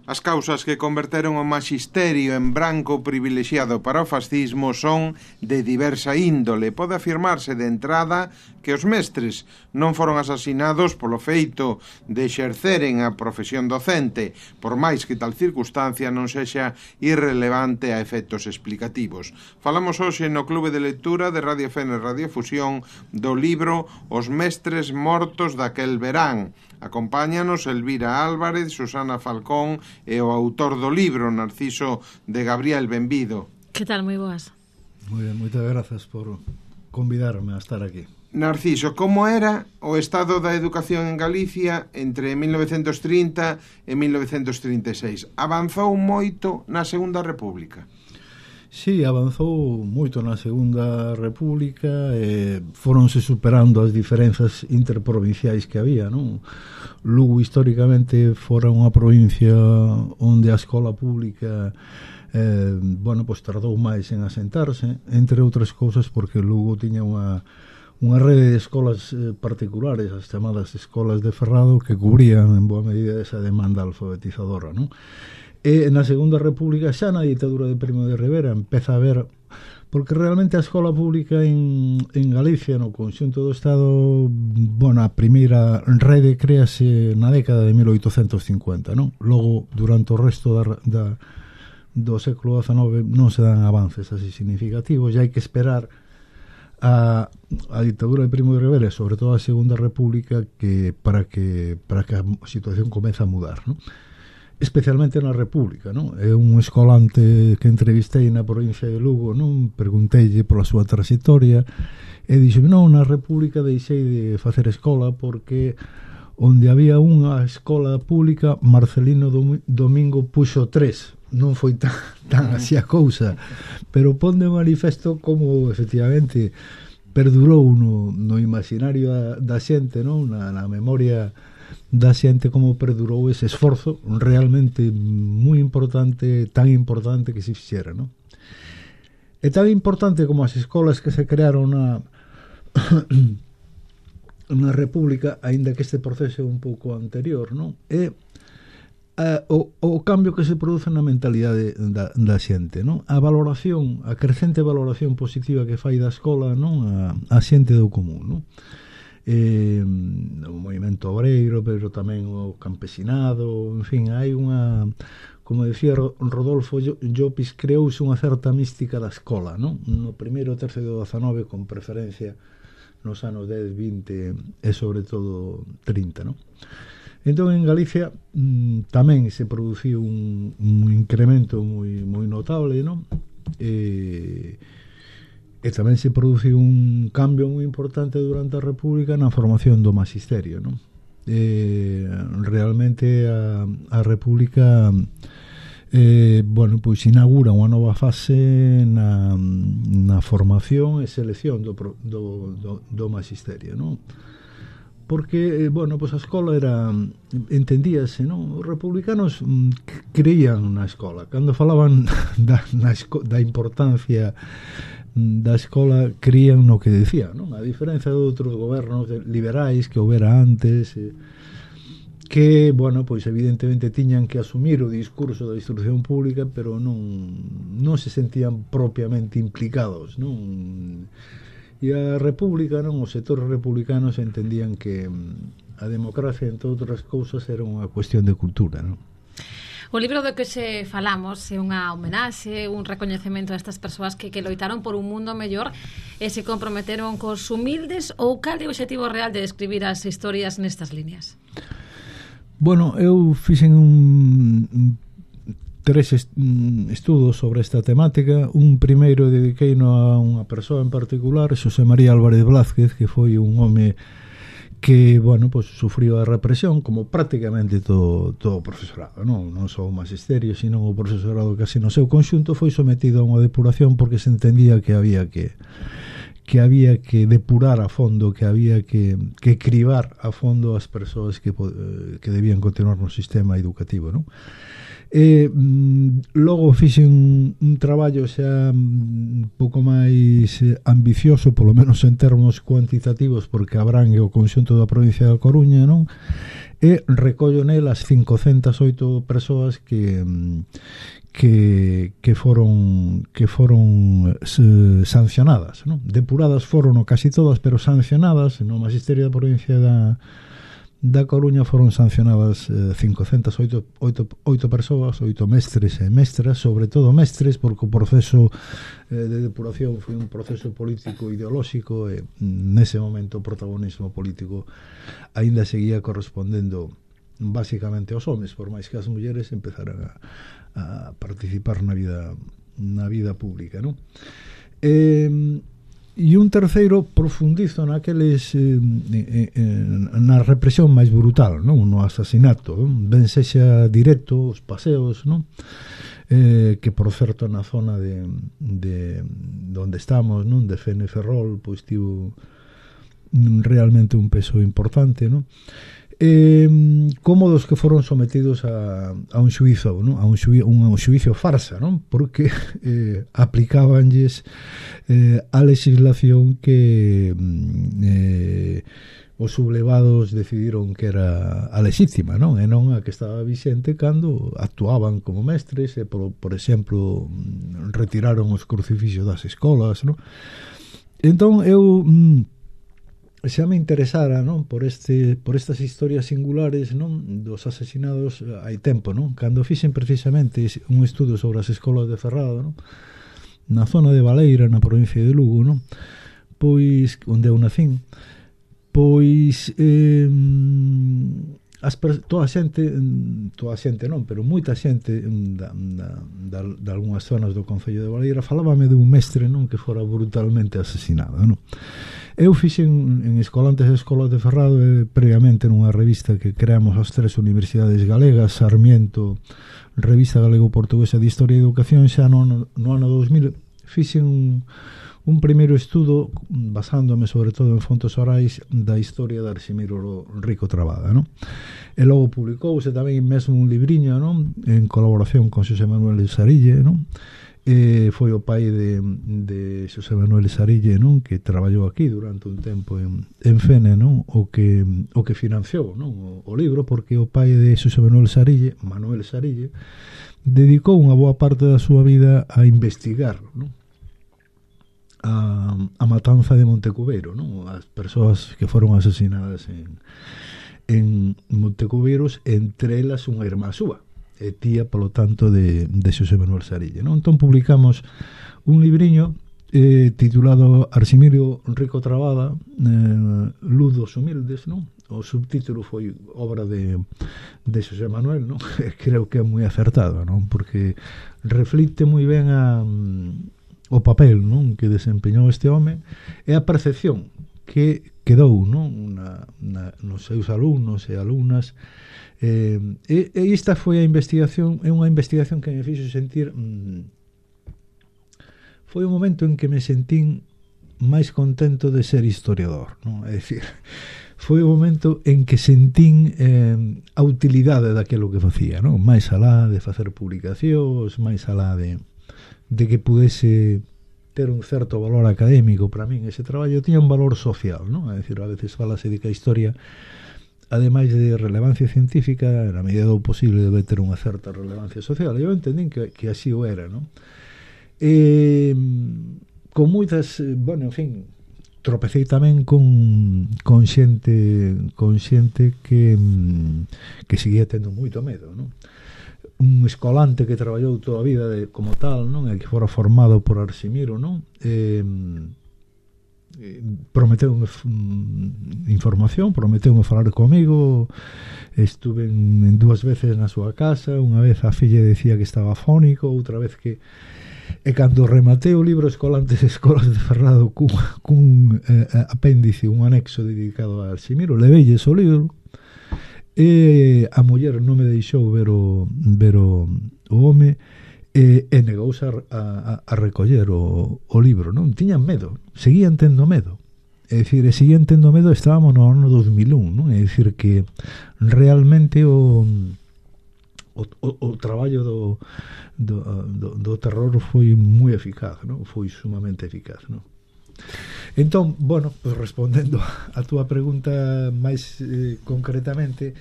As causas que converteron o maxisterio en branco privilexiado para o fascismo son de diversa índole. Pode afirmarse de entrada que os mestres non foron asasinados polo feito de exerceren a profesión docente, por máis que tal circunstancia non sexa irrelevante a efectos explicativos. Falamos hoxe no Clube de Lectura de Radio Fene Radio Fusión do libro Os mestres mortos daquel verán. Acompáñanos Elvira Álvarez, Susana Falcón e o autor do libro, Narciso de Gabriel. Benvido. Que tal? Moi boas. Moi ben, moitas grazas por convidarme a estar aquí. Narciso, como era o estado da educación en Galicia entre 1930 e 1936? Avanzou moito na Segunda República? Sí, avanzou moito na Segunda República e foronse superando as diferenzas interprovinciais que había, non? Lugo históricamente fora unha provincia onde a escola pública pois tardou máis en asentarse, entre outras cousas porque Lugo tiña unha rede de escolas particulares, as chamadas escolas de Ferrado, que cubrían en boa medida esa demanda alfabetizadora, non? E na Segunda República, xa na ditadura de Primo de Rivera, empeza a ver, porque realmente a escola pública en Galicia, no conxunto do Estado, a primeira rede créase na década de 1850, non? Logo, durante o resto do século XIX non se dan avances así significativos, e hai que esperar a ditadura de Primo de Rivera, sobre todo a Segunda República, para que a situación comece a mudar, non? Especialmente na República, non? É un escolante que entrevistei na provincia de Lugo, non? Pregunteille pola súa trayectoria e dixo, non, na República deixei de facer escola porque onde había unha escola pública, Marcelino Domingo puxo 3. Non foi tan así a cousa, pero pon de manifesto como efectivamente perdurou no imaginario da xente, non? Na memoria da xente, como perdurou ese esforzo realmente moi importante, tan importante que se fixera, non? É tan importante como as escolas que se crearon na República, aínda que este proceso é un pouco anterior, non? É o cambio que se produce na mentalidade da xente, non? A valoración, a crecente valoración positiva que fai da escola, non? A xente do común, non? O movimento obreiro, pero tamén o campesinado, en fin, hai unha, como decía Rodolfo Llopis, creouse unha certa mística da escola, non? No primeiro tercio do XIX, con preferencia nos anos 10, 20 e sobre todo 30, non? Entón en Galicia tamén se produciu un incremento moi notable, non? E tamén se produciu un cambio moi importante durante a República na formación do maxisterio, non? Realmente a República pois inaugura unha nova fase na formación e selección do maxisterio, non? Porque, pois a escola era, entendíase, non? Os republicanos creían na escola. Cando falaban da importancia da escola, creían no que decía, non? A diferencia de outros gobernos liberais que houbera antes, que, pois evidentemente tiñan que asumir o discurso da instrucción pública, pero non se sentían propiamente implicados, non? E a República, non? Os sectores republicanos entendían que a democracia, entre outras cousas, era unha cuestión de cultura, non? O libro do que se falamos é unha homenaxe, un recoñecemento a estas persoas que loitaron por un mundo mellor e se comprometeron cos humildes, ou cal é o obxectivo real de escribir as historias nestas líneas? Eu fixen tres estudos sobre esta temática. Un primeiro dediqueino a unha persoa en particular, Xosé María Álvarez Blázquez, que foi un home que, sufriu a represión, como prácticamente todo o profesorado, non só o magisterio, sino o profesorado casi no seu conxunto, foi sometido a unha depuración porque se entendía que había que depurar a fondo, que había que cribar a fondo as persoas que debían continuar no sistema educativo, non? Logo fixen un traballo xa un pouco máis ambicioso, polo menos en termos cuantitativos, porque abrangue o conxunto da provincia da Coruña, non? e recollo nel as 508 persoas que foron sancionadas, non? Depuradas foron casi todas, pero sancionadas no Magisterio da provincia da Coruña foron sancionadas 508 persoas, 8 mestres e mestras, sobre todo mestres, porque o proceso de depuración foi un proceso político ideolóxico e nese momento o protagonismo político aínda seguía correspondendo basicamente aos homes, por máis que as mulleres empezaran a participar na vida pública, non? E un terceiro profundizo naqueles na represión máis brutal, non? No asasinato, non? Ben sexa directo, os paseos, non? Que por certo na zona de onde estamos, non? De Fene Ferrol, pois tivo realmente un peso importante, non? Como dos que foron sometidos a un xuízo, non? Un xuízo farsa, non? Porque aplicábanlles a legislación que os sublevados decidiron que era a lexítima, non? E non a que estaba vixente cando actuaban como mestres e, por exemplo, retiraron os crucifixos das escolas, non? Entón eu xa me interesara, non, por estas historias singulares, non, dos asesinados hai tempo, non, cando fixen precisamente un estudo sobre as escolas de Ferrado, non, na zona de Baleira, na provincia de Lugo, non, pois onde eu nacín, pois toda a xente non, pero moita xente de algunhas zonas do concello de Baleira falábame dun mestre, non, que fora brutalmente asesinado, non. Eu fixen en Escolantes e Escolas de Ferrado previamente nunha revista que creamos as 3 universidades galegas, Sarmiento, Revista Galego-Portuguesa de Historia e Educación, xa no ano 2000 fixen un primeiro estudo basándome sobre todo en fontes orais da historia de Arximiro Rico Trabada, non? E logo publicouse tamén mesmo un libriño, non? En colaboración con Xosé Manuel Sarille, non? Foi o pai de Xosé Manuel Sarille, non? Que traballou aquí durante un tempo en Fene, non? O que financiou, non? O libro, porque o pai de Xosé Manuel Sarille, dedicou unha boa parte da súa vida a investigar, non? A matanza de Montecubeiro, non? As persoas que foron asesinadas en Montecubeiros, entre elas unha irmá súa, e tía, polo tanto, de Xosé Manuel Sarille, non? Entón publicamos un libriño titulado Arximiro Rico Trabada, Luz dos Humildes, non? O subtítulo foi obra de Xosé Manuel, non? Creo que é moi acertado, non? Porque reflite moi ben o papel, non, que desempeñou este home e a percepción que quedou, non, nos seus alumnos e alumnas, e esta foi a investigación, é unha investigación que me fixo sentir, foi o momento en que me sentín máis contento de ser historiador, non? É dicir, foi o momento en que sentín a utilidade daquilo que facía, non? Máis alá de facer publicacións, máis alá de que pudese ter un certo valor académico. Para min ese traballo tiña un valor social, non? É dicir, a veces falase de que a historia, ademais de relevancia científica, na medida do posible debe ter unha certa relevancia social. Eu entendín que así o era, non? Con moitas, bueno, en fin, tropecei tamén con xente que seguía tendo moito medo, non? Un escolante que traballou toda a vida como tal, non? E que fora formado por Arximiro, non? Prometeume información, prometeume falar comigo. Estuve en 2 veces na súa casa. Unha vez a filla decía que estaba fónico, outra vez que... E cando rematei o libro Escolantes e Escolas de Ferrado cun apéndice, un anexo dedicado a Arximiro, leveilles o libro. E a muller non me deixou ver o home e negouse a recoller o libro, non? Tiñan medo, seguían tendo medo. É dicir, estábamos no ano 2001, non? É dicir, que realmente o traballo do terror foi moi eficaz, non? Foi sumamente eficaz, non? Entón, bueno, pues respondendo a túa pregunta máis concretamente,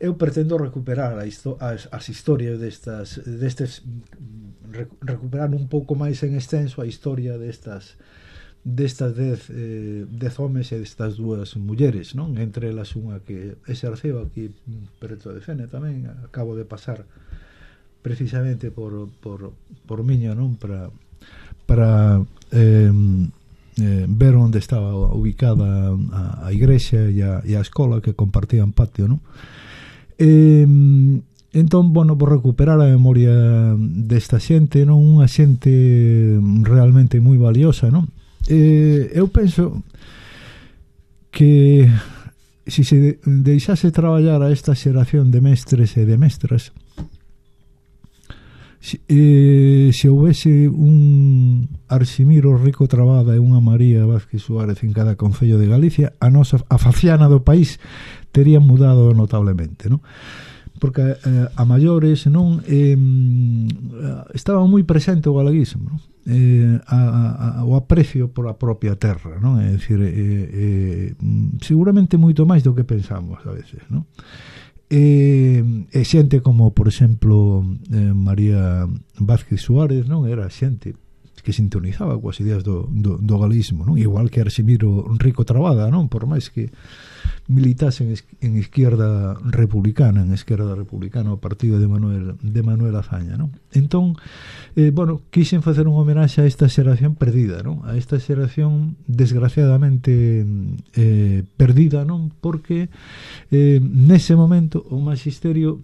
eu pretendo recuperar as historias destes recuperar un pouco máis en extenso a historia destas 10 homes e destas 2 mulleres, non? Entre elas unha que exerceu aquí preto de Fene tamén, acabo de pasar precisamente por Miño, non? Para ver onde estaba ubicada a igrexa e a escola que compartían patio, non? Entón, bueno, por recuperar a memoria desta xente, non? Unha xente realmente moi valiosa, non? Eu penso que se deixase traballar a esta xeración de mestres e de mestras, se houvese un Arximiro Rico Trabada e unha María Vázquez Suárez en cada concello de Galicia, a faciana do país tería mudado notablemente, non? Porque a maiores, non, estaba moi presente o galeguismo, non? O aprecio por a propia terra, non? É dicir, seguramente moito máis do que pensamos a veces, non? E xente como, por exemplo, María Vázquez Suárez, non? Era xente que sintonizaba coas ideas do galeguismo, non? Igual que Arximiro Rico Trabada, non? Por máis que militasen en Esquerda Republicana, o partido de Manuel Azaña, non? Entón, bueno, quixen facer unha homenaxe a esta xeración perdida, non? A esta xeración desgraciadamente perdida, non? Porque nese momento o magisterio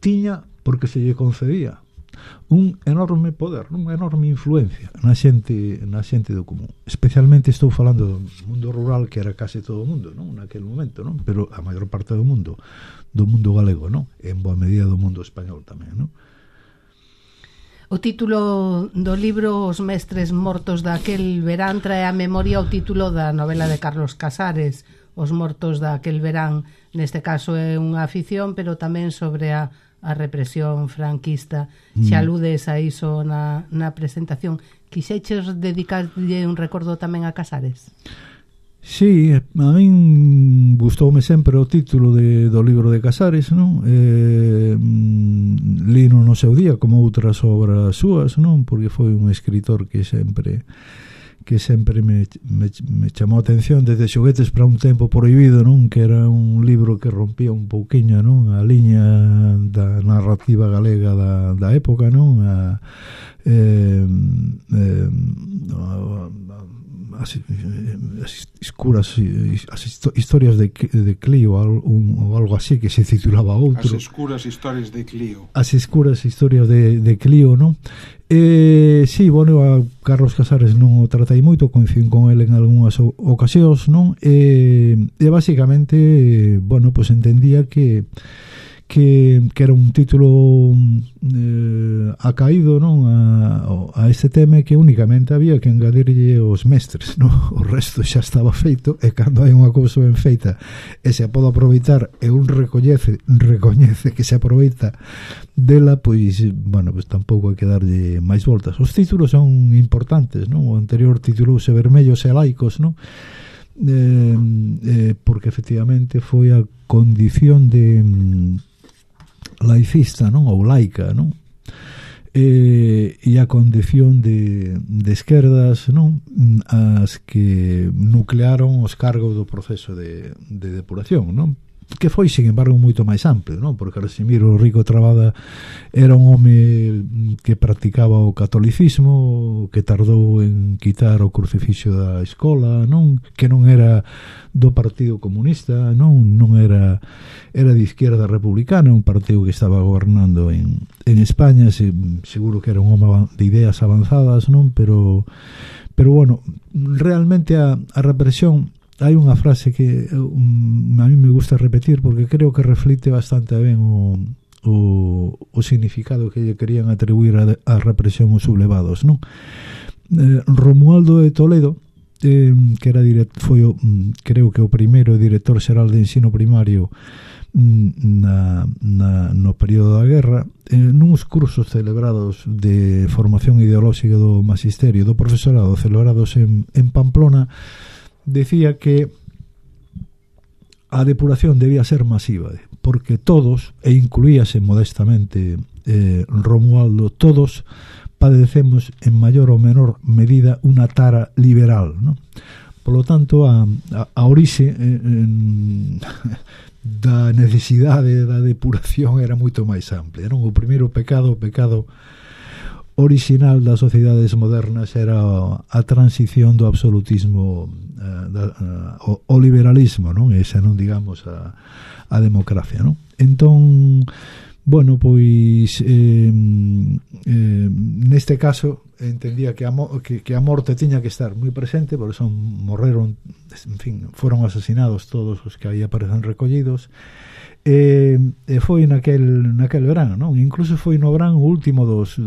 tiña, porque se lle concedía, un enorme poder, unha enorme influencia na xente do común. Especialmente estou falando do mundo rural, que era case todo o mundo, non? Naquele momento, non? Pero a maior parte do mundo galego, non? E en boa medida do mundo español tamén, non? O título do libro Os mestres mortos daquel verán trae a memoria o título da novela de Carlos Casares, Os mortos daquel verán. Neste caso é unha afición, pero tamén sobre a represión franquista. Xa aludes a iso na presentación. Quixeches dedicarlle un recordo tamén a Casares? Sí, a min gustoume sempre o título do libro de Casares, non? Lino no seu día como outras obras súas, non? Porque foi un escritor que sempre me chamou a atención, desde Xoguetes para un tempo prohibido, non? Que era un libro que rompía un pouquiño, non? A liña da narrativa galega da época, non? As historias de Clio ou algo así, que se titulaba outro. As escuras historias de Clio. As escuras historias de Clio, non? Sí, bueno, a Carlos Casares non o tratei moito, coincidín con ele en algunhas ocasións, non? E basicamente, bueno, pues entendía que era un título acaído, non? A este tema, que únicamente había que engadirlle os mestres, non? O resto xa estaba feito, e cando hai unha cousa ben feita e se pode aproveitar e un recoñece que se aproveita dela, pois, bueno, pues tampouco hai que darlle máis voltas. Os títulos son importantes, non? O anterior titulouse Vermellos e Laicos, non? Porque efectivamente foi a condición de laicista, non? Ou laica, non? E a condición de esquerdas, non? As que nuclearon os cargos do proceso de depuración, non? Que foi, sin embargo, moito máis amplio, non? Porque Arximiro Rico Trabada era un home que practicaba o catolicismo, que tardou en quitar o crucifixo da escola, non? Que non era do Partido Comunista, non era de Izquierda Republicana, un partido que estaba gobernando en España. Seguro que era un home de ideas avanzadas, non? Pero bueno, realmente a represión, hai unha frase que a mí me gusta repetir, porque creo que reflite bastante ben o significado que lle querían atribuir a represión os sublevados, non? Romualdo de Toledo, que era foi creo que o primeiro director xeral de ensino primario no período da guerra, nuns cursos celebrados de formación ideolóxica do magisterio do profesorado celebrados en Pamplona, decía que a depuración debía ser masiva, porque todos, e incluíase modestamente Romualdo, todos padecemos en mayor ou menor medida unha tara liberal, non? Polo tanto, a orixe da necesidade da depuración era moito máis amplia, non? O primeiro pecado, o pecado original das sociedades modernas era a transición do absolutismo ao liberalismo, non? Esa non digamos a democracia, non? Entón, bueno, pois neste caso entendía que a morte tiña que estar moi presente, por eso morreron, en fin, foron asasinados todos os que aí aparecen recollidos. E foi naquel verán, non? Incluso foi no verán o último dos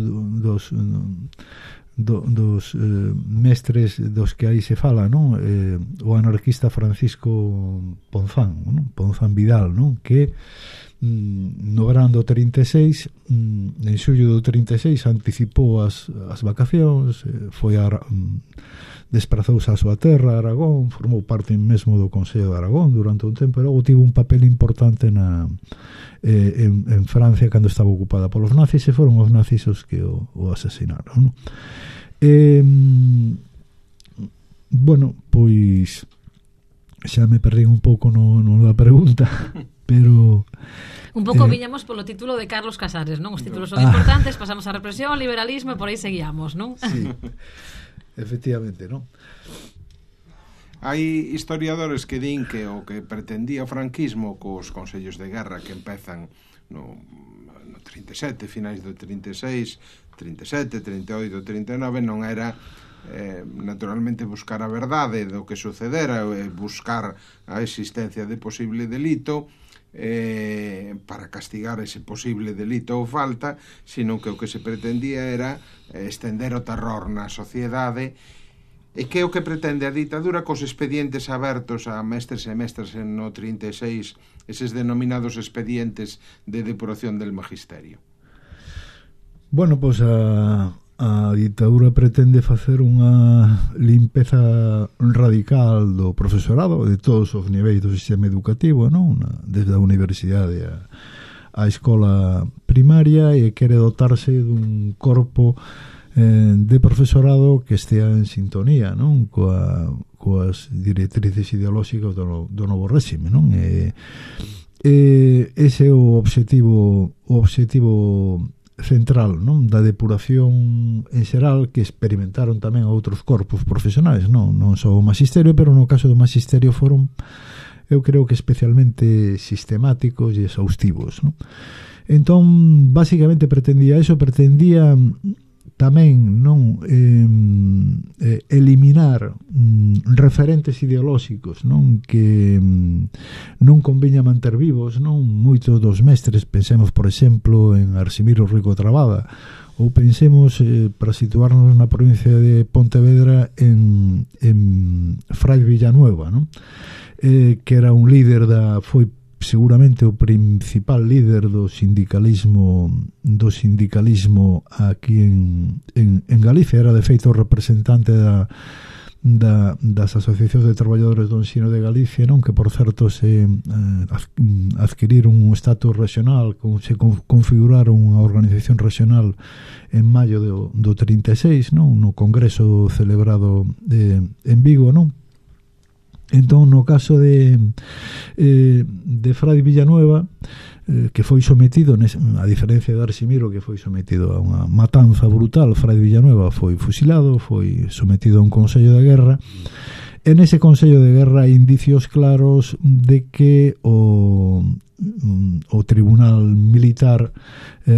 mestres dos que aí se fala, non? O anarquista Francisco Ponzán, non? Ponzán Vidal, non? Que no verán do 36, en xullo do 36 anticipou as vacacións, foi desprazouse a súa terra, Aragón, formou parte mesmo do Consello de Aragón durante un tempo, e logo tivo un papel importante en Francia cando estaba ocupada polos nazis, e foron os nazis os que o asasinaron, non? Bueno, pois xa me perdí un pouco no da pregunta, pero un pouco viñamos polo título de Carlos Casares, non? Os títulos son importantes, pasamos a represión, liberalismo e por aí seguíamos, non? Sí, efectivamente, non? Hai historiadores que din que o que pretendía o franquismo cos consellos de guerra que empezan no 37, finais do 36, 37, 38, 39, non era naturalmente buscar a verdade do que sucedera, buscar a existencia de posible delito para castigar ese posible delito ou falta, sino que o que se pretendía era estender o terror na sociedade. E que é o que pretende a ditadura cos expedientes abertos a mestres e mestras no 36, eses denominados expedientes de depuración del magisterio? Bueno, pois a ditadura pretende facer unha limpeza radical do profesorado de todos os niveis do sistema educativo, non? Desde a universidade a escola primaria, e quere dotarse dun corpo de profesorado que estea en sintonía, non? Coas directrices ideolóxicas do novo réxime, non? Ese é o obxectivo central, non? Da depuración en xeral, que experimentaron tamén outros corpos profesionais, non só o magisterio, pero no caso do magisterio foron, eu creo que especialmente sistemáticos e exhaustivos, non? Entón, basicamente pretendía tamén non eliminar referentes ideolóxicos, non, que non conviña manter vivos, non? Moitos dos mestres, pensemos por exemplo en Arsimiro Rico Trabada, ou pensemos, para situarnos na provincia de Pontevedra, en Fray Villanueva, non? Que era un líder foi seguramente o principal líder do sindicalismo aquí en Galicia. Era de feito representante das asociacións de traballadores do ensino de Galicia, non? Que por certo se adquiriron un estatus regional, se configuraron unha organización regional en maio do 36, non? No congreso celebrado en Vigo, non? Entón, no caso de Fray Villanueva, que foi sometido, a diferencia de Arsimiro, que foi sometido a unha matanza brutal, Fray Villanueva foi fusilado, foi sometido a un consello de guerra. En ese consello de guerra hai indicios claros de que o tribunal militar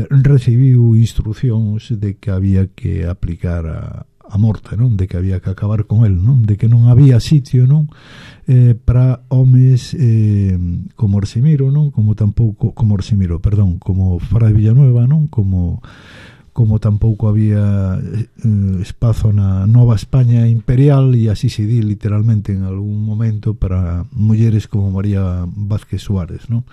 recibiu instruccións de que había que aplicar a morte, non? De que había que acabar con el, non? De que non había sitio, non? Para homes como Arsimiro, non? Como Fray Villanueva, non? Como tampouco había espazo na Nova España imperial, e así se di literalmente en algún momento, para mulleres como María Vázquez Suárez, non?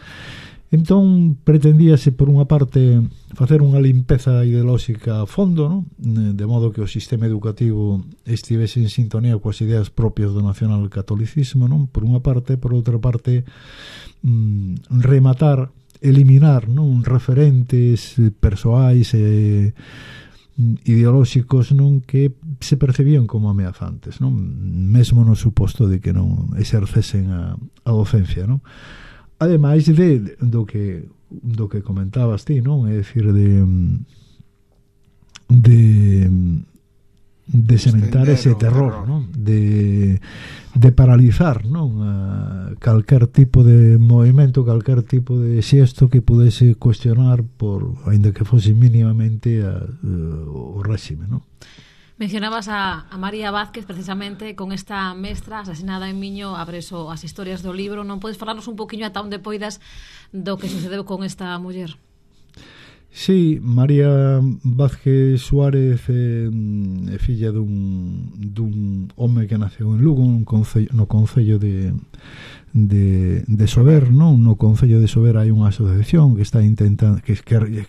Entón pretendíase por unha parte facer unha limpeza ideolóxica a fondo, non? De modo que o sistema educativo estivese en sintonía coas ideas propias do nacionalcatolicismo, non? Por unha parte, por outra parte rematar, eliminar, non? Referentes persoais e ideolóxicos, non? Que se percibían como ameazantes, non? Mesmo no suposto de que non exercesen a docencia, non? Ademais do que comentabas ti, non? É dicir, de sementar ese terror, non? De paralizar, non? Calquer tipo de movimento, calquer tipo de xesto que pudese cuestionar, aínda que fose mínimamente o réxime, non? Mencionabas a María Vázquez, precisamente, con esta mestra asesinada en Miño, abres as historias do libro. Non podes falarnos un poquinho ata onde poidas do que sucedeu con esta muller? Sí, María Vázquez Suárez é filla dun home que naceu en Lugo, no concello de Sober, non? No concello de Sober hai unha asociación que está intentando que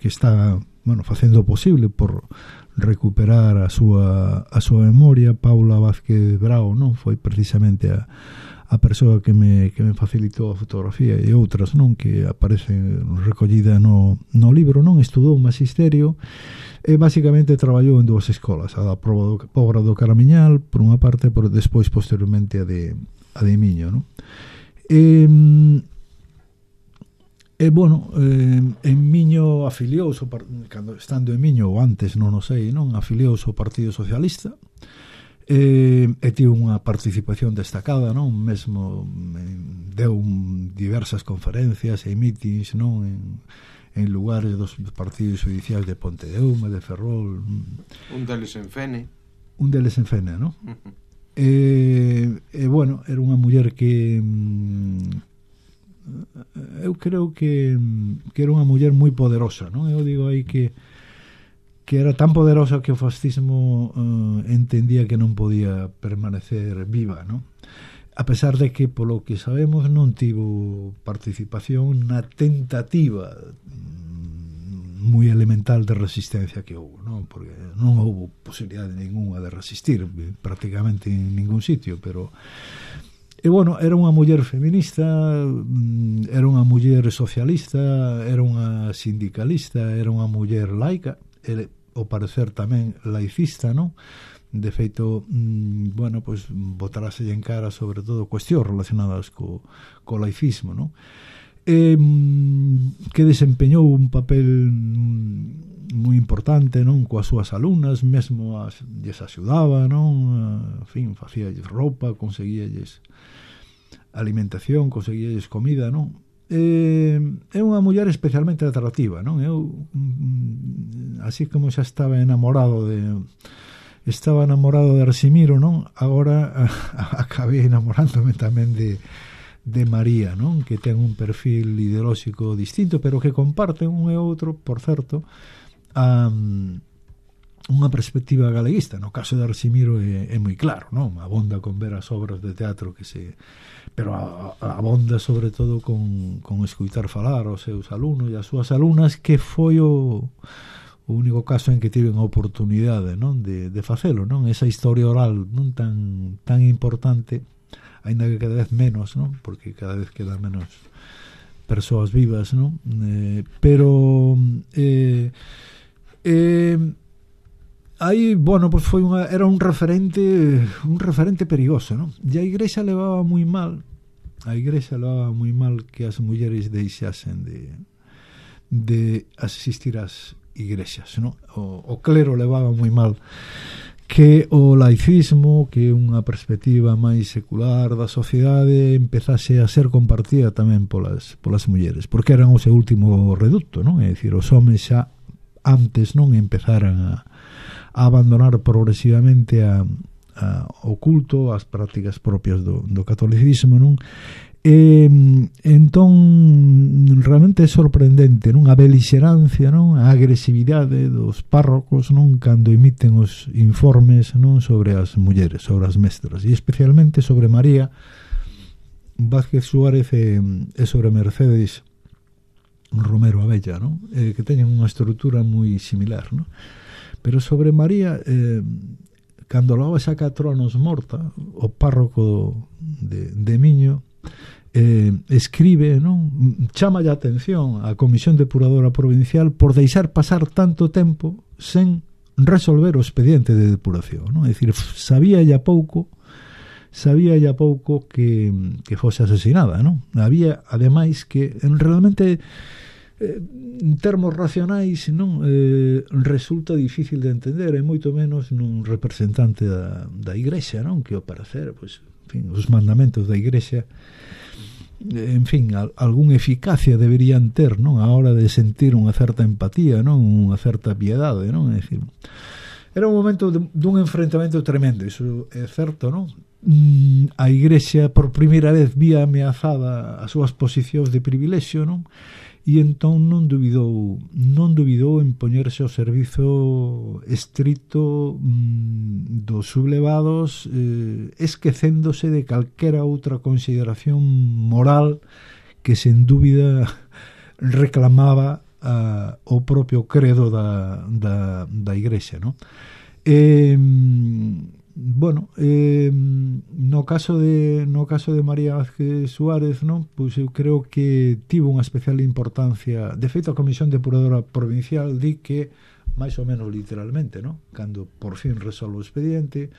está, bueno, facendo o posible por recuperar a súa memoria. Paula Vázquez Brao, non? Foi precisamente a persoa que me facilitou a fotografía e outras, non? Que aparecen recollida no libro, non? Estudou magisterio e basicamente traballou en dúas escolas, a da Pobra do Caramiñal por unha parte, por despois posteriormente a de Miño, non? Bueno, en Miño afiliouse, cando estando en Miño ou antes, non o sei, non? Afiliouse ao Partido Socialista e tivo unha participación destacada, non? Mesmo deu diversas conferencias e mítins, non? En lugares dos partidos judiciais de Pontedeume, de Ferrol. Un deles en Fene, non? Bueno, era unha muller que eu creo que era unha muller moi poderosa, non? Eu digo aí que era tan poderosa que o fascismo entendía que non podía permanecer viva, non? A pesar de que, polo que sabemos, non tivo participación na tentativa moi elemental de resistencia que houve, non? Porque non houve posibilidade ninguna de resistir prácticamente en ningún sitio, pero bueno, era unha muller feminista, era unha muller socialista, era unha sindicalista, era unha muller laica, ao parecer tamén laicista, non? De feito, bueno, pois botarase en cara sobre todo cuestións relacionadas co laicismo, non? Que desempeñou un papel moi importante, non? Coas súas alumnas, mesmo lles axudaba, non? En fin, facíalles roupa, conseguíalles alimentación, conseguíalles comida, non? É unha muller especialmente atractiva, non? Eu, así como xa estaba enamorado de Arsimiro, non? Agora acabei enamorándome tamén de María, non? Que ten un perfil ideolóxico distinto, pero que comparten un e outro, por certo, unha perspectiva galeguista. No caso de Arsimiro é moi claro, non? Abonda con ver as obras de teatro pero abonda sobre todo con escuitar falar aos seus alumnos e as súas alumnas, que foi o único caso en que tiven a oportunidade, non? De facelo, non? Esa historia oral non tan importante, aínda que cada vez menos, non? Porque cada vez quedan menos persoas vivas, non? Pero aí, bueno, pues era un referente perigoso, non? E a Igrexa levaba moi mal que as mulleres deixasen de asistir ás igrexas, non? O clero levaba moi mal que o laicismo, que unha perspectiva máis secular da sociedade, empezase a ser compartida tamén polas mulleres, porque eran o seu último reducto, non? É dicir, os homens xa antes non empezaran a abandonar progresivamente o culto, as prácticas propias do catolicismo, non? Entón realmente é sorprendente, non? A belixerancia, non? A agresividade dos párrocos, non? Cando emiten os informes, non? Sobre as mulleres, sobre as mestras, e especialmente sobre María Vázquez Suárez e sobre Mercedes Romero Abella, non? Que teñen unha estrutura moi similar, non? Pero sobre María, cando logo saca a tronos morta, o párroco de Miño escribe, non? Chama a atención a Comisión Depuradora Provincial por deixar pasar tanto tempo sen resolver o expediente de depuración, non? É dicir, sabía ya pouco que fose asesinada, non? Había, ademais, que realmente en termos racionais, non, resulta difícil de entender, e moito menos nun representante da Igrexa, non? Que ao parecer, pois, en fin, os mandamentos da Igrexa, en fin, algunha eficacia deberían ter, non, a hora de sentir unha certa empatía, non, unha certa piedade, non? É dicir, era un momento dun enfrentamento tremendo, iso é certo, non? A Igrexa por primeira vez vía ameazada as súas posicións de privilexio, non? E entón non dubidou en poñerse ao servizo estrito dos sublevados, esquecéndose de calquera outra consideración moral que sen dúbida reclamaba o propio credo da Igrexa, non? Bueno, no caso de María Vázquez Suárez, non? Pois eu creo que tivo unha especial importancia. De feito, a Comisión Depuradora Provincial di que, máis ou menos literalmente, non? Cando por fin resolve o expediente,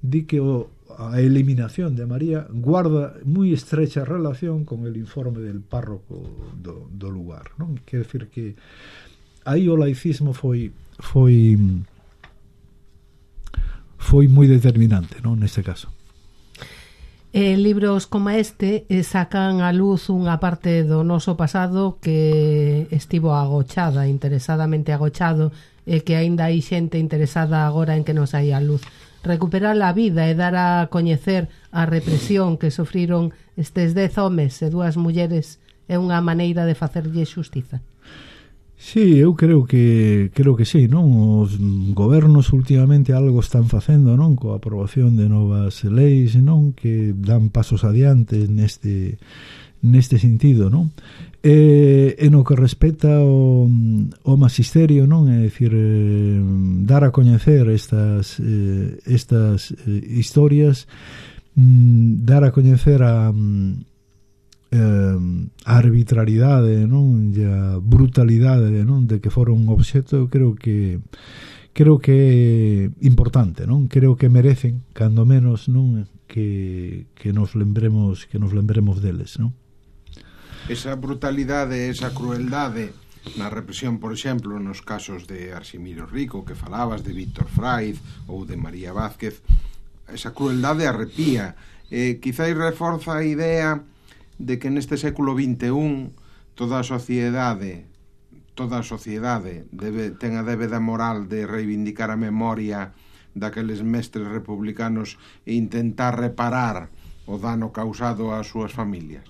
di que a eliminación de María guarda moi estrecha relación con el informe del párroco do lugar, non? Quer decir que aí o laicismo foi moi determinante, non, neste caso. Libros como este sacan a luz unha parte do noso pasado que estivo agochada, interesadamente agochado, e que aínda hai xente interesada agora en que nos hai a luz. Recuperar a vida e dar a coñecer a represión que sofriron estes 10 homes e 2 mulleres é unha maneira de facerlle xustiza. Sí, eu creo que sí, non? Os gobernos últimamente algo están facendo, non? Coa aprobación de novas leis, non? Que dan pasos adiante neste sentido, non? En o que respecta ao magisterio, non? É dicir, dar a coñecer estas historias, dar a coñecer a arbitrariedade, non, e a brutalidade, non, de que foron un obxecto, creo que é importante, non? Creo que merecen, cando menos, non, que nos lembremos deles, non? Esa brutalidade, esa crueldade na represión, por exemplo, nos casos de Arximiro Rico que falabas, de Víctor Fraiz ou de María Vázquez, esa crueldade arrepía, quizáis reforza a idea de que neste século XXI toda a sociedade ten a débeda moral de reivindicar a memoria daqueles mestres republicanos e intentar reparar o dano causado ás súas familias.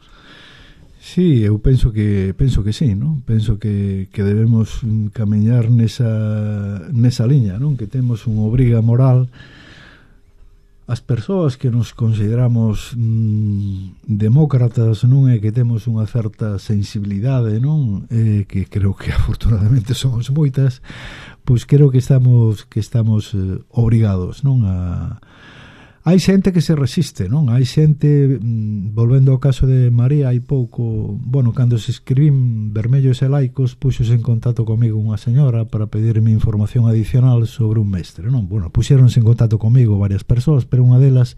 Sí, eu penso que sí, non? Penso que debemos camiñar nesa liña, non? Que temos unha obriga moral as persoas que nos consideramos demócratas, non, é que temos unha certa sensibilidade, non, que creo que afortunadamente somos moitas, pois creo que estamos obrigados, non, hai xente que se resiste, non? Hai xente, volvendo ao caso de María, hai pouco, bueno, cando se escribín Vermellos e Laicos, puxose en contacto comigo unha señora para pedirme información adicional sobre un mestre, non? Bueno, puxéronse en contacto comigo varias persoas, pero unha delas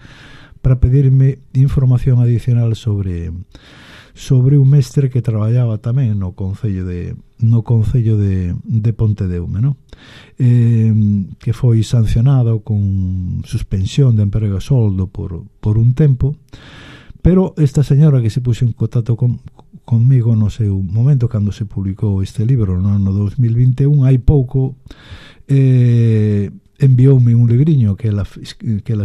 para pedirme información adicional sobre un mestre que traballaba tamén no concello de Pontedeume, non? Que foi sancionado con suspensión de emprego e soldo por un tempo, pero esta señora que se puxo en contacto conmigo no seu momento cando se publicou este libro no ano 2021, hai pouco envioume un libriño que ela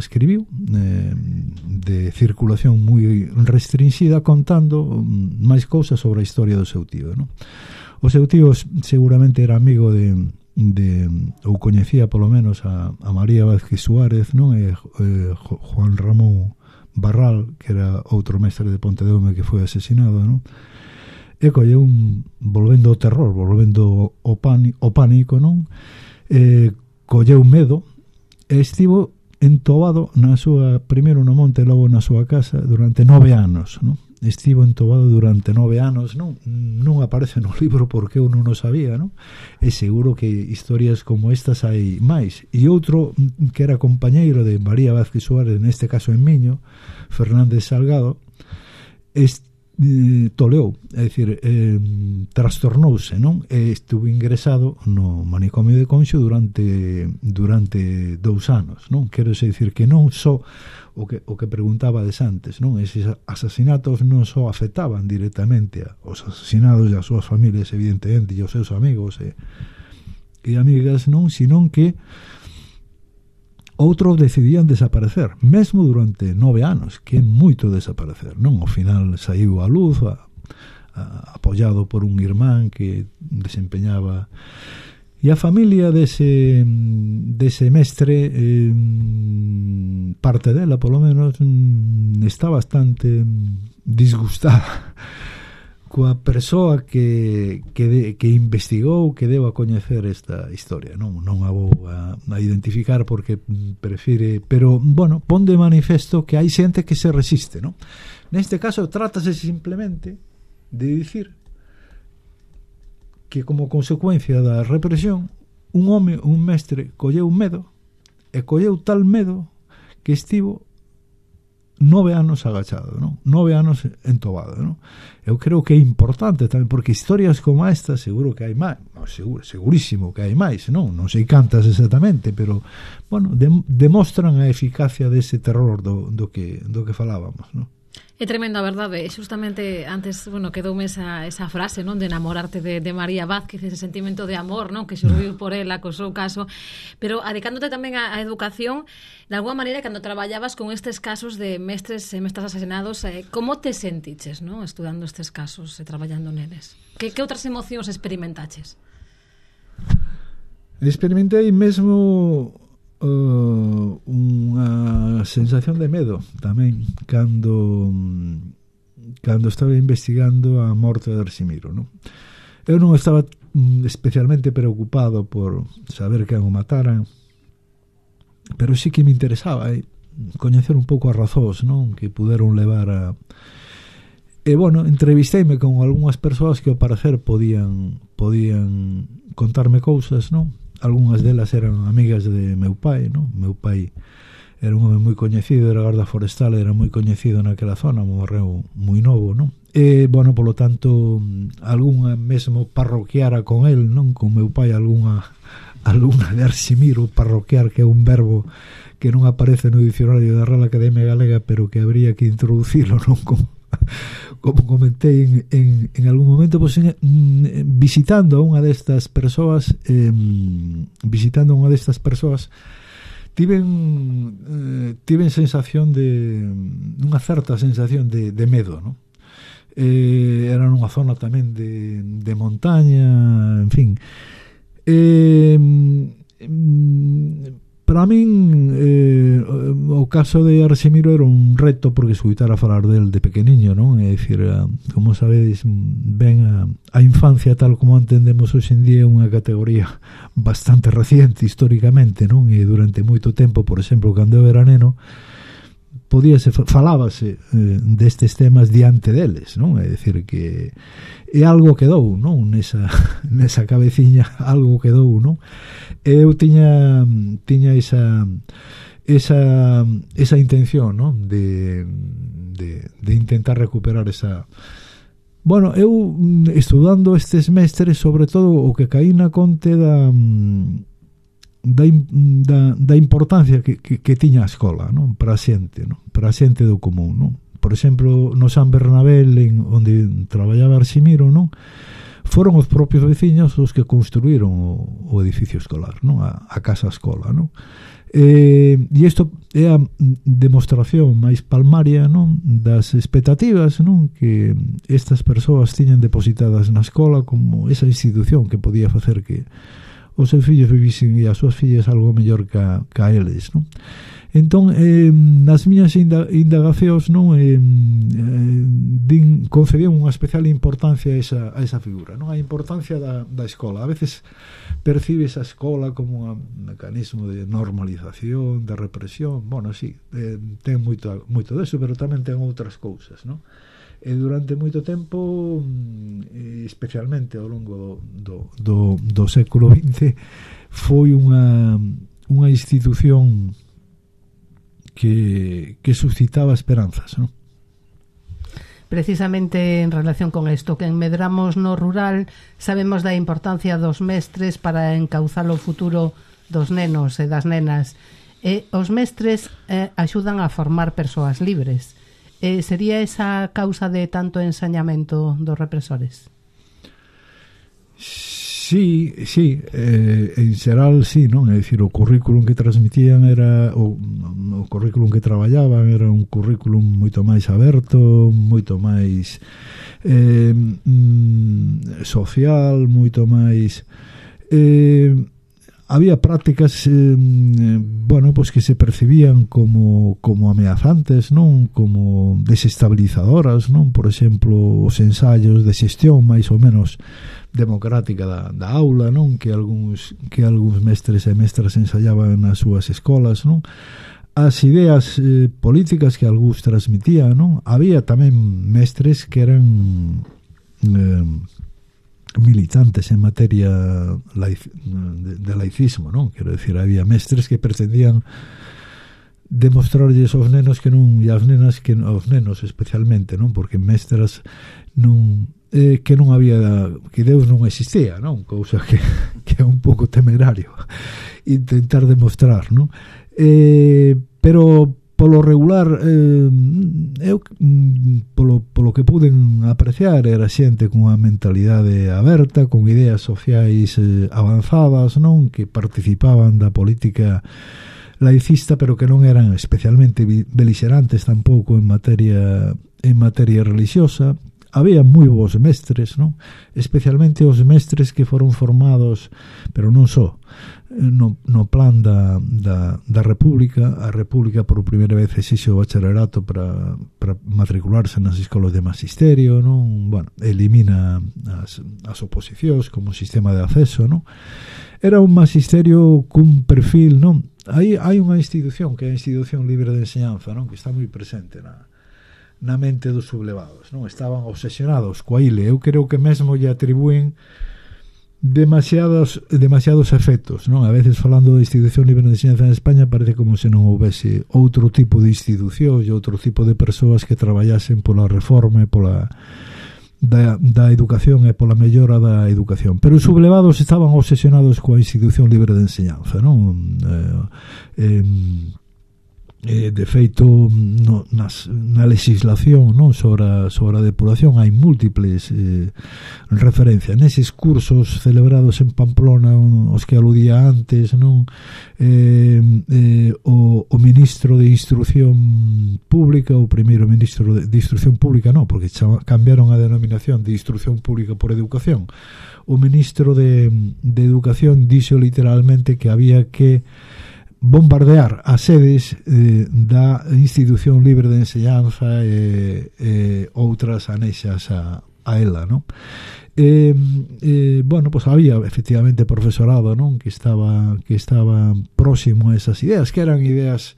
escribiu de circulación moi restringida, contando máis cousas sobre a historia do seu tío, non? O seu tío seguramente era amigo ou coñecía polo menos a María Vázquez Suárez, non? E Juan Ramón Barral, que era outro mestre de Pontedeume que foi asesinado, non? e colleu volvendo ao terror, volvendo ao pánico, non? Colleu medo e estivo entobado na súa, primeiro no monte e logo na súa casa durante 9 anos, non? Estivo entobado durante 9 anos, non aparece no libro porque eu non o sabía, non? E seguro que historias como estas hai máis. E outro que era compañeiro de María Vázquez Suárez, neste caso en Miño, Fernández Salgado, toleou, é dicir, trastornouse, non? E estuvo ingresado no manicomio de Conxo durante 2 anos, non? Quero dicir que non só o que preguntabades antes, non? Eses asasinatos non só afectaban directamente aos asasinados e as súas familias, evidentemente, e aos seus amigos e amigas, non? Senón que outros decidían desaparecer, mesmo durante 9 anos, que é moito desaparecer, non? Ao final saiu a luz, apoiado por un irmán que desempeñaba. E a familia dese mestre, parte dela, polo menos, está bastante disgustada coa persoa que investigou, que deu a coñecer esta historia. Non a vou a identificar porque prefire, pero, bueno, pon de manifesto que hai xente que se resiste, non? Neste caso, trátase simplemente de dicir que como consecuencia da represión un home, un mestre, colleu medo e colleu tal medo que estivo 9 anos agachado, non? 9 anos entobado, non? Eu creo que é importante tamén, porque historias como esta seguro que hai máis, segurísimo que hai máis, non sei cantas exactamente, pero, bueno, demostran a eficacia dese terror do que falábamos, non? É tremendo, a verdade. Justamente antes, quedoume esa frase, non, de enamorarte de María Vázquez, ese sentimento de amor, non, que xurdiu por ela co seu caso, pero adicándote tamén á educación, de alguma maneira, cando traballabas con estes casos de mestres e mestras asesinados, como te sentiches, non, estudando estes casos e traballando neles? Que outras emocións experimentaches? Experimentei mesmo unha sensación de medo tamén cando estaba investigando a morte de Arximiro, non? Eu non estaba especialmente preocupado por saber quen o mataran, pero sí que me interesaba coñecer un pouco as razóns, non, que puderon levar a... E, bueno, entrevisteime con algunhas persoas que ao parecer podían contarme cousas, non? Algúnas delas eran amigas de meu pai, non? Meu pai era un home moi coñecido, era garda forestal, era moi coñecido naquela zona, morreu moi novo, non? E, bueno, polo tanto, algunha mesmo parroquiara con el, non? Con meu pai, algunha de Arximiro, parroquiar, que é un verbo que non aparece no dicionario da Real Academia Galega, pero que habría que introducilo, non? Como comentei en algún momento, pues, visitando a unha destas persoas, tiven sensación unha certa sensación de medo, non? Era nunha zona tamén de montaña, en fin. Para min o caso de Arximiro era un reto, porque escutar a falar del de pequeniño, non? É dicir, como sabedes ben, a infancia tal como entendemos hoxe en día é unha categoría bastante reciente históricamente, non? E durante moito tempo, por exemplo, cando eu era neno, falábase destes temas diante deles, non? É dicir que algo quedou, non? Nesa cabeciña algo quedou, non? Eu tiña esa intención, non? De intentar recuperar esa... Bueno, eu estudando estes mestres, sobre todo o que caí na conte da importancia que tiña a escola, non? Para a xente, non? Para a xente do común, non? Por exemplo, no San Bernabé, onde traballaba Arximiro, non? Foron os propios veciños os que construíron o edificio escolar, non? A casa escola, non? E isto é a demostración máis palmaria, non? Das expectativas, non? Que estas persoas tiñan depositadas na escola como esa institución que podía facer que os seus fillos vivisen e as súas fillas algo mellor ca eles, non? Entón, nas miñas indagacións, non, concedían unha especial importancia a esa figura, non? A importancia da escola. A veces percibes a escola como un mecanismo de normalización, de represión. Bueno, sí, ten moito deso, pero tamén ten outras cousas, non? E durante moito tempo, especialmente ao longo do século XX, foi unha institución que suscitaba esperanzas, ¿no? Precisamente en relación con isto, que en Medramos no rural sabemos da importancia dos mestres para encauzar o futuro dos nenos e das nenas. Os mestres axudan a formar persoas libres. Sería esa causa de tanto ensañamento dos represores? Sí, en xeral sí, non? É dicir, o currículum que transmitían era o currículum que traballaban era un currículum moito máis aberto, moito máis social, moito máis había prácticas pois que se percibían como ameazantes, non? Como desestabilizadoras, non? Por exemplo, os ensaios de xestión máis ou menos democrática da aula, non? Que algúns mestres e mestras ensayaban nas súas escolas, non? As ideas políticas que algúns transmitían, non? Había tamén mestres que eran militantes en materia de laicismo, non? Quero decir, había mestres que pretendían demostrarlles aos nenos que non, e as nenas que aos nenos especialmente, non? Porque mestras non que non había, que Deus non existía, non? Cousa que é un pouco temerario intentar demostrar, non? Pero polo regular eu polo que puden apreciar era xente con unha mentalidade aberta, con ideas sociais avanzadas, non? Que participaban da política laicista, pero que non eran especialmente beligerantes tampouco en materia religiosa. Había moi bons mestres, non? Especialmente os mestres que foron formados, pero non só no plan da República. A República por primeira vez exixe o bacharelato para matricularse nas escolas de magisterio, non? Bueno, elimina as oposicións como sistema de acceso, non? Era un magisterio cun perfil, non? Hai unha institución que é a Institución Libre de Enseñanza, non? Que está moi presente na mente dos sublevados, non? Estaban obsesionados coa ile. Eu creo que mesmo lle atribúen demasiados efectos, non? A veces falando da Institución Libre de Enseñanza en España parece como se non houvese outro tipo de institución e outro tipo de persoas que traballasen pola reforma e pola da educación e pola mellora da educación, pero os sublevados estaban obsesionados coa Institución Libre de Enseñanza, non? De feito na legislación, non, sobre a depuración hai múltiples referencias neses cursos celebrados en Pamplona, os que aludía antes, non? O ministro de Instrucción Pública, o primeiro ministro de Instrucción Pública, non, porque cambiaron a denominación de Instrucción Pública por Educación. O ministro de Educación dixo literalmente que había que bombardear as sedes da Institución Libre de Enseñanza e outras anexas a ela, non? Bueno, pues había efectivamente profesorado, non? Que estaba próximo a esas ideas, que eran ideas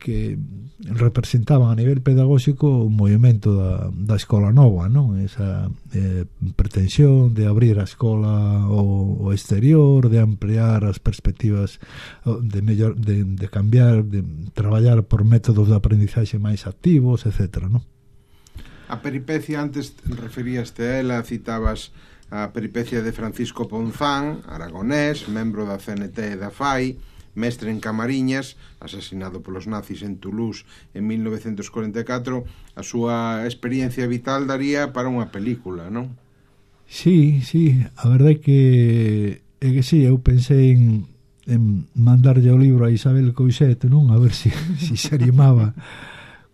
que representaban a nivel pedagóxico un movimento da escola nova, non? Esa pretensión de abrir a escola ao exterior, de ampliar as perspectivas, de cambiar, de traballar por métodos de aprendizaxe máis activos, etc., non? A peripecia, antes referíaste a ela, citabas a peripecia de Francisco Ponzán, aragonés, membro da CNT e da FAI, mestre en Camariñas, asesinado polos nazis en Toulouse en 1944. A súa experiencia vital daría para unha película, non? Sí, a verdade é que sí, eu pensei en mandarlle o libro a Isabel Coixet, non? A ver se animaba,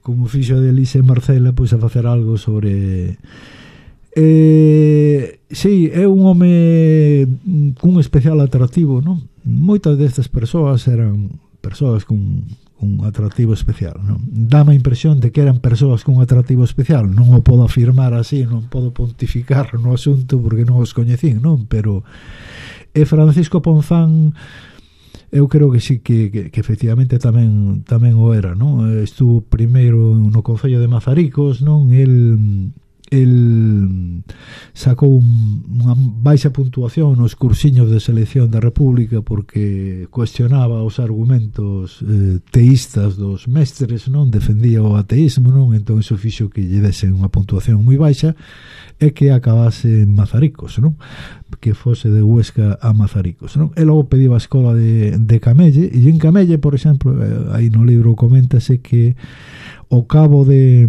como fixo de Elise Marcela, pois a facer algo sobre Sí, é un home cun especial atractivo, non? Moitas destas persoas eran persoas cun atractivo especial, non? Dame a impresión de que eran persoas cun atractivo especial. Non o podo afirmar así, non podo pontificar no asunto porque non os coñecín, non? Pero Francisco Ponzán, eu creo que sí que efectivamente tamén o era, non? Estuvo primeiro no Concello de Mazaricos, non? El sacou unha baixa puntuación nos cursiños de selección da República porque cuestionaba os argumentos teístas dos mestres, non? Defendía o ateísmo, non? Entón iso fixo que lle desen unha puntuación moi baixa e que acabase en Mazaricos, non? Que fose de Huesca a Mazaricos, non? E logo pediu a escola de Camelle, e en Camelle, por exemplo, aí no libro coméntase que ao cabo de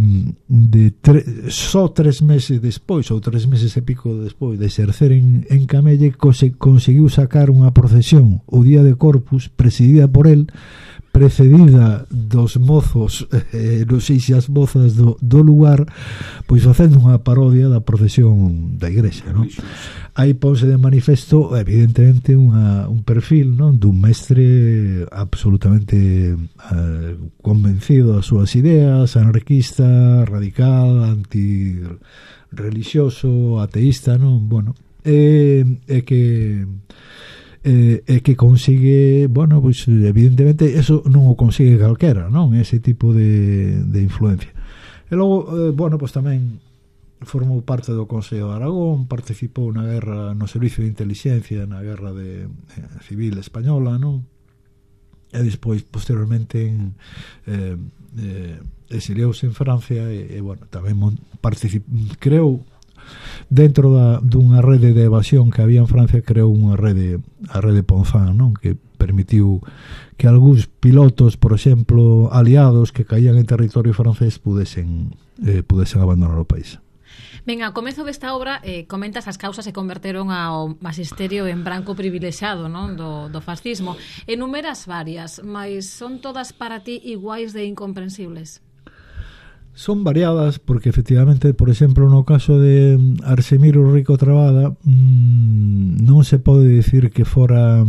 só 3 meses despois, ou 3 meses e pico despois de exercer en Camelle, conseguiu sacar unha procesión o día de Corpus presidida por el, precedida dos mozos, non sei se as mozas do lugar, pois facendo unha parodia da procesión da igrexa, non? Aí ponse de manifesto evidentemente un perfil, non? Dun mestre absolutamente convencido das súas ideas, anarquista, radical, antirreligioso, ateísta, non? Bueno, que consigue, bueno, pues evidentemente eso non o consigue calquera, non? Ese tipo de influencia. E logo, bueno, pues tamén formou parte do Consello de Aragón, participou na guerra, no servicio de inteligencia na guerra civil española, non? E despois, posteriormente, exiliouse en Francia e bueno, tamén creou dentro dunha rede de evasión que había en Francia, creou a rede Ponzán, non? Que permitiu que algúns pilotos, por exemplo, aliados que caían en territorio francés pudesen abandonar o país. Ben, ao comezo desta obra comentas as causas que converteron ao magisterio en branco privilexiado, non? Do fascismo. Enumeras varias, mas son todas para ti iguais de incomprensibles? Son variadas porque efectivamente, por exemplo, no caso de Arsemiro Rico Trabada, non se pode dicir que fora o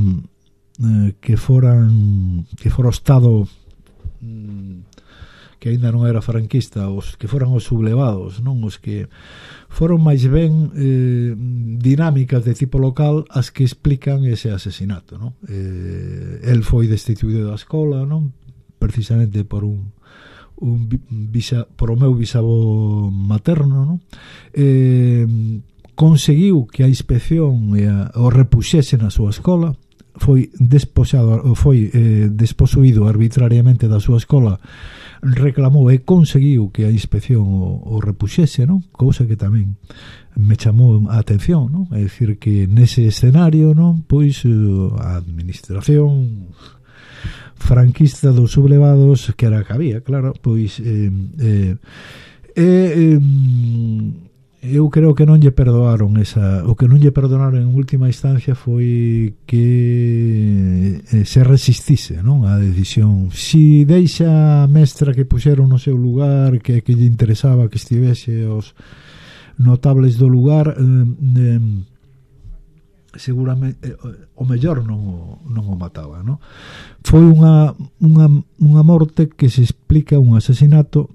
Estado que aínda non era franquista, os que foran os sublevados, non? Os que foron máis ben dinámicas de tipo local as que explican ese asesinato, non? El foi destituído da escola, non? Precisamente por o meu bisavó materno, non? Conseguiu que a inspección o repuxese na súa escola, foi desposuído arbitrariamente da súa escola, reclamou e conseguiu que a inspección o repuxese, non? Cousa que tamén me chamou a atención, non? É dicir que nese escenario, non? Pois a administración franquista dos sublevados, que era que había, claro, pois eu creo que non lle perdoaron o que non lle perdonaron en última instancia foi que se resistise, non? A decisión. Si deixa a mestra que puxeron no seu lugar, que lle interesaba que estivese os notables do lugar, seguramente o mellor non o mataba, non? Foi unha morte que se explica, un asesinato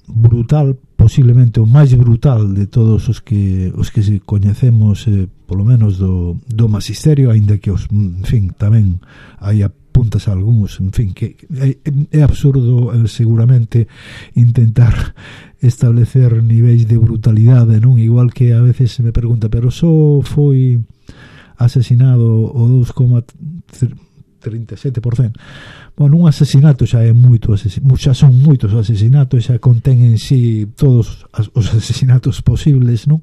brutal, posiblemente o máis brutal de todos os que se coñecemos, polo menos do magisterio, aínda que en fin, tamén hai apuntas a algúns, en fin, que é absurdo seguramente intentar establecer niveis de brutalidade, non? Igual que a veces se me pregunta, pero só foi asesinado o 2,37%. Bueno, un asesinato xa é xa son moitos asesinatos, xa contén en sí todos os asesinatos posibles, non?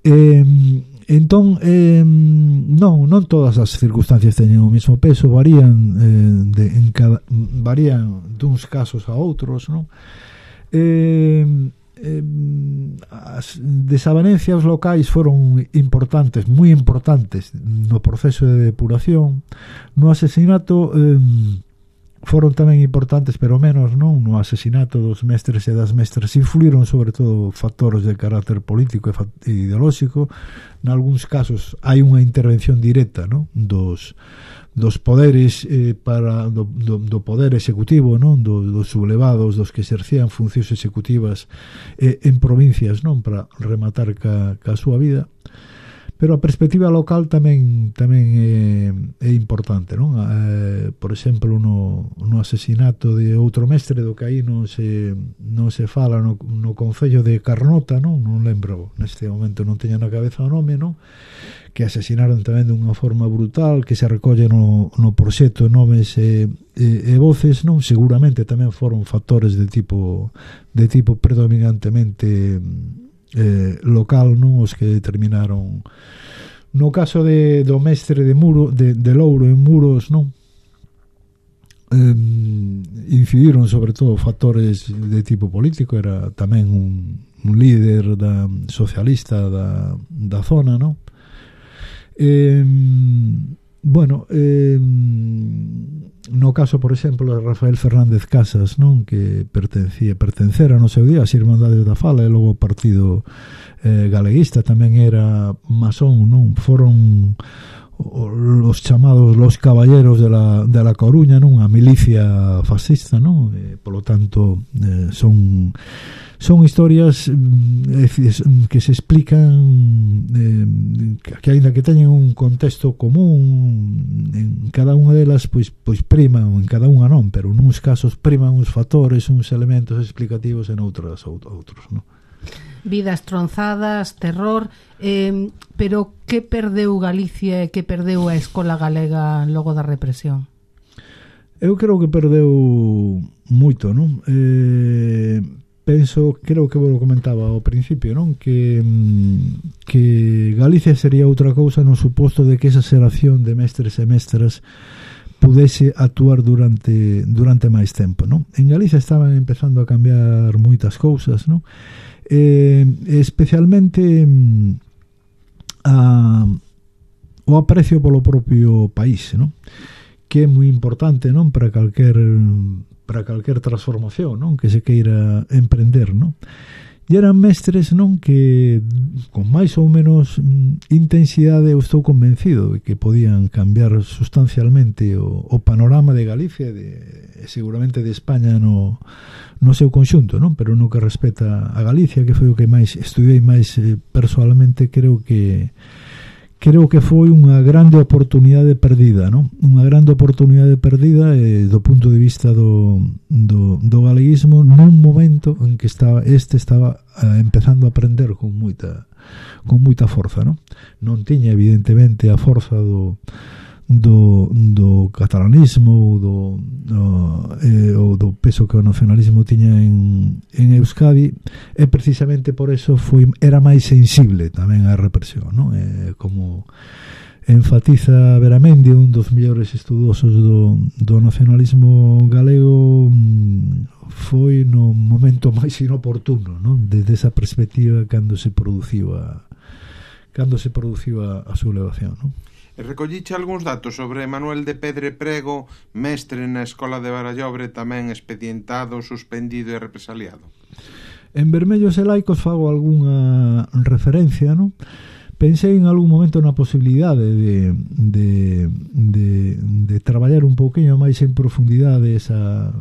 Entón, non todas as circunstancias teñen o mesmo peso, varían duns casos a outros, non? As desavenencias locais foron importantes, moi importantes no proceso de depuración. No asesinato foron tamén importantes, pero menos, non, no asesinato dos mestres e das mestras. Influíron sobre todo factores de carácter político e ideolóxico. Nalgúns casos hai unha intervención directa, non, dos poderes do poder executivo, non, dos sublevados, dos que exercían funcións executivas en provincias, non, para rematar ca súa vida. Pero a perspectiva local tamén é importante, non? Por exemplo, no asesinato de outro mestre do que aí non se fala no concello de Carnota, non lembro, neste momento non teño na cabeza o nome, non? Que asesinaron tamén dunha forma brutal, que se recolle no proxecto nomes e voces, non? Seguramente tamén foron factores de tipo predominantemente local, non, os que determinaron. No caso do mestre de Louro en Muros, non, incidiron sobre todo factores de tipo político. Era tamén un líder socialista da zona, non. No caso, por exemplo, de Rafael Fernández Casas, non, que pertencera no seu día ás Irmandades da Fala e logo o Partido Galeguista, tamén era masón, non? Foron os chamados los caballeros de la Coruña, non, a milicia fascista, non? Polo tanto, son historias que se explican, que aínda que teñen un contexto común, en cada unha delas pois priman, en cada unha non, pero nuns casos priman uns factores, uns elementos explicativos, en outros, non? Vidas tronzadas, terror, pero que perdeu Galicia e que perdeu a escola galega logo da represión? Eu creo que perdeu moito, non? Creo que vos lo comentaba ao principio, non? Que Galicia sería outra cousa no suposto de que esa xeración de mestres e mestras pudese actuar durante máis tempo, non? En Galicia estaban empezando a cambiar moitas cousas, non? Especialmente o aprecio polo propio país, non? Que é moi importante, non, para calquer transformación, non, que se queira emprender, non? E eran mestres, non, que con máis ou menos intensidade eu estou convencido de que podían cambiar sustancialmente o panorama de Galicia e seguramente de España no seu conxunto, non? Pero no que respecta a Galicia, que foi o que máis estudei máis persoalmente, creo que foi unha grande oportunidade perdida, non? Unha grande oportunidade perdida do punto de vista do galeguismo nun momento en que estaba empezando a aprender con moita forza, non? Non tiña evidentemente a forza do catalanismo ou do peso que o nacionalismo tiña en Euskadi, e precisamente por eso era máis sensible tamén á represión, non? Como enfatiza Beramendi, un dos mellores estudosos do nacionalismo galego, foi no momento máis inoportuno, non? Desde esa perspectiva cando se produciu a sublevación, non? Recolliche algúns datos sobre Manuel de Pedre Prego, mestre na Escola de Barallobre, tamén expedientado, suspendido e represaliado? En Vermellos e Laicos fago algunha referencia, non? Pensei en algún momento na posibilidade de traballar un pouquinho máis en profundidade a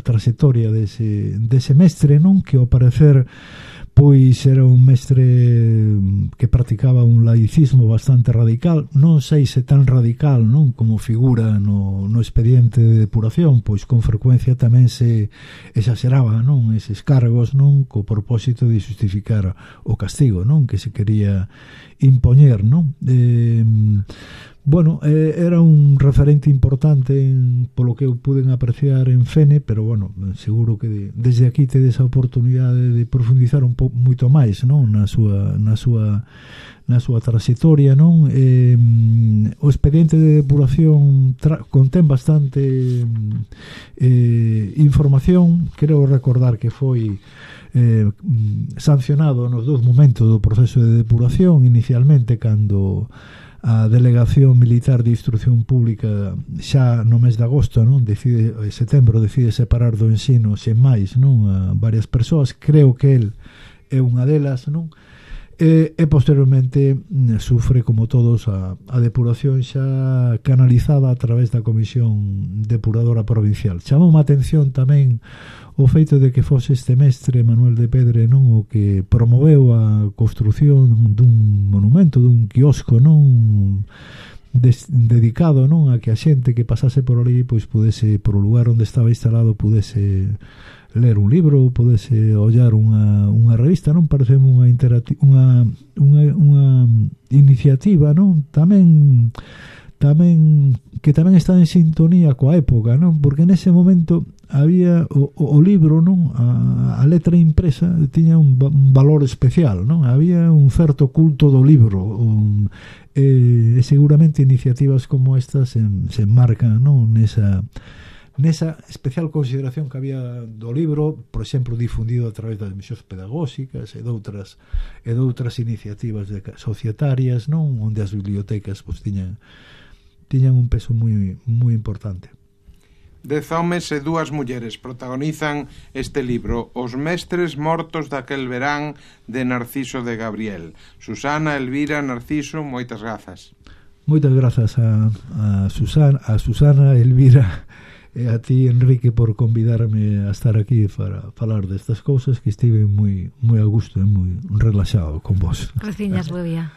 trayectoria dese mestre, non? Que ao parecer pois era un mestre que practicaba un laicismo bastante radical, non sei se tan radical, non, como figura no expediente de depuración, pois con frecuencia tamén se exageraba, non, eses cargos, non, co propósito de justificar o castigo, non, que se quería impoñer, non? Bueno, era un referente importante polo que eu puden apreciar en Fene, pero bueno, seguro que desde aquí tedes a oportunidade de profundizar un pouco moito máis, non, na súa trayectoria, non? O expediente de depuración contén bastante información. Creo recordar que foi sancionado nos dous momentos do proceso de depuración, inicialmente cando a Delegación Militar de Instrucción Pública xa no mes de agosto, non? Setembro decide separar do ensino sen máis, non? A varias persoas, creo que el é unha delas, non? E posteriormente sufre, como todos, a depuración xa canalizada a través da Comisión Depuradora Provincial. Chamou a atención tamén o feito de que fose este mestre Manuel de Pedre, non, o que promoveu a construción dun monumento, dun quiosco, non, dedicado, non, a que a xente que pasase por ali pois pudese, por o lugar onde estaba instalado, pudese ler un libro ou podese ollar unha revista, non? Parece unha iniciativa, non? Tamén que tamén está en sintonía coa época, non? Porque nese momento había o libro, non? A letra impresa tiña un valor especial, non? Había un certo culto do libro, e seguramente iniciativas como estas se enmarcan, non? Nesa especial consideración que había do libro, por exemplo, difundido a través das misións pedagóxicas e doutras iniciativas societarias, non, onde as bibliotecas pois, tiñan un peso moi importante. 10 homes e 2 mulleres protagonizan este libro, Os mestres mortos daquel verán, de Narciso de Gabriel. Susana, Elvira, Narciso, moitas grazas. Moitas grazas a Susana, Elvira e a ti, Enrique, por convidarme a estar aquí para falar destas cousas, que estive moi a gusto e moi relaxado con vos. Reciñas, bo día.